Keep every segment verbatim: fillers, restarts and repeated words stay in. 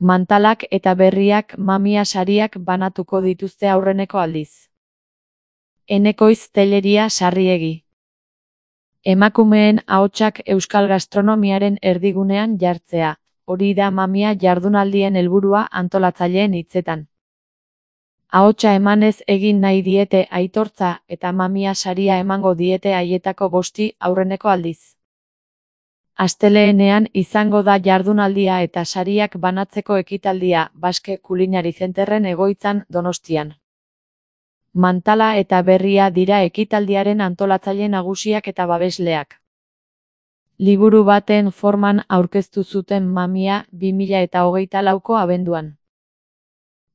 Mantalak eta berriak mamia sariak banatuko dituzte aurreneko aldiz. Enekoiz Telleria Sarriegi. Emakumeen ahotsak euskal gastronomiaren erdigunean jartzea, hori da mamia jardunaldien helburua antolatzaileen hitzetan. Ahotsa emanez egin nahi diete aitortza eta mamia saria emango diete haietako bosti aurreneko aldiz. Asteleenean izango da jardunaldia eta sariak banatzeko ekitaldia Basque Culinary Centerren egoitzan Donostian. Mantala eta berria dira ekitaldiaren antolatzaile nagusiak eta babesleak. Liburu baten forman aurkeztu zuten mamia bi mila hogeita lauko abenduan.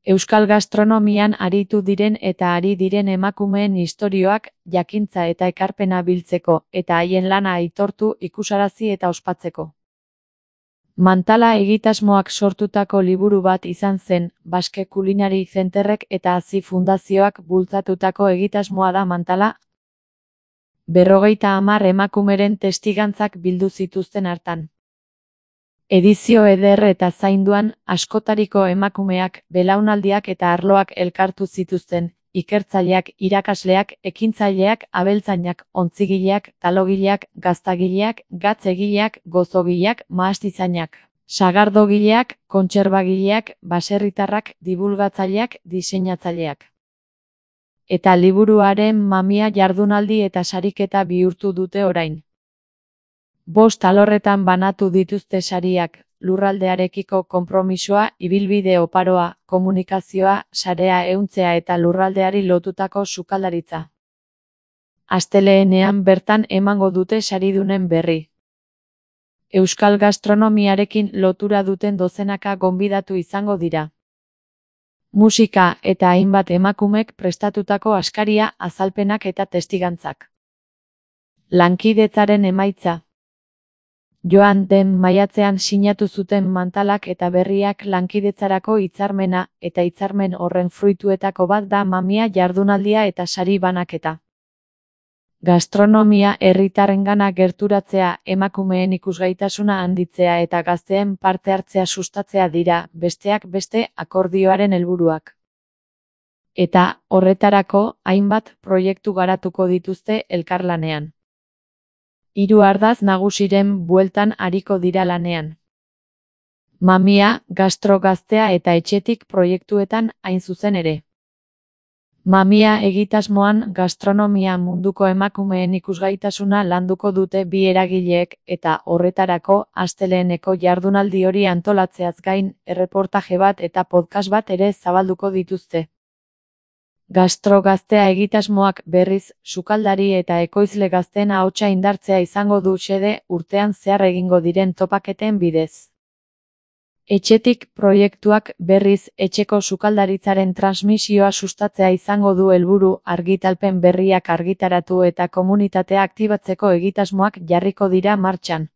Euskal gastronomian aritu diren eta ari diren emakumeen istorioak, jakintza eta ekarpena biltzeko, eta haien lana aitortu, ikusarazi eta ospatzeko. Mantala egitasmoak sortutako liburu bat izan zen, Basque Culinary Centerrek eta Hazi Fundazioak bultzatutako egitasmoa da Mantala. Berrogeita hamar emakumeren testigantzak bildu zituzten hartan. Edizio eder eta zainduan, askotariko emakumeak, belaunaldiak eta arloak elkartu zituzten, ikertzaileak, irakasleak, ekintzaileak, abeltzainak, ontzigileak, talogileak, gaztagileak, gatzegileak, gozogileak, mahastizainak, sagardogileak, kontserbagileak, baserritarrak, dibulgatzaileak, diseinatzaileak. Eta liburuaren mamia jardunaldi eta sariketa bihurtu dute orain. Bost alorretan banatu dituzte sariak, lurraldearekiko konpromisoa, ibilbide oparoa, komunikazioa, sarea ehuntzea eta lurraldeari lotutako sukaldaritza. Asteleenean bertan emango dute saridunen berri. Euskal gastronomiarekin lotura duten dozenaka gonbidatu izango dira. Musika eta hainbat emakumek prestatutako askaria, azalpenak eta testigantzak. Lankidetzaren emaitza. Joan den maiatzean sinatu zuten Mantalak eta berriak lankidetzarako hitzarmena, eta hitzarmen horren fruituetako bat da mamia jardunaldia eta sari banaketa. Gastronomia herritarrengana gerturatzea, emakumeen ikusgaitasuna handitzea eta gazteen parte hartzea sustatzea dira, besteak beste, akordioaren helburuak. Eta, horretarako, hainbat proiektu garatuko dituzte elkarlanean. Hiru ardaz nagusiren bueltan ariko dira lanean. Mamia, gastro gaztea eta etxetik proiektuetan hain zuzen ere. Mamia egitasmoan gastronomia munduko emakumeen ikusgaitasuna landuko dute bi eragileek eta horretarako asteleeneko jardunaldi hori antolatzeaz gain erreportaje bat eta podcast bat ere zabalduko dituzte. Gastro gaztea egitasmoak berriz, sukaldari eta ekoizle gazteen ahotsa indartzea izango du xede urtean zehar egingo diren topaketen bidez. Etxetik proiektuak berriz etxeko sukaldaritzaren transmisioa sustatzea izango du helburu argitalpen berriak argitaratu eta komunitatea aktibatzeko egitasmoak jarriko dira martxan.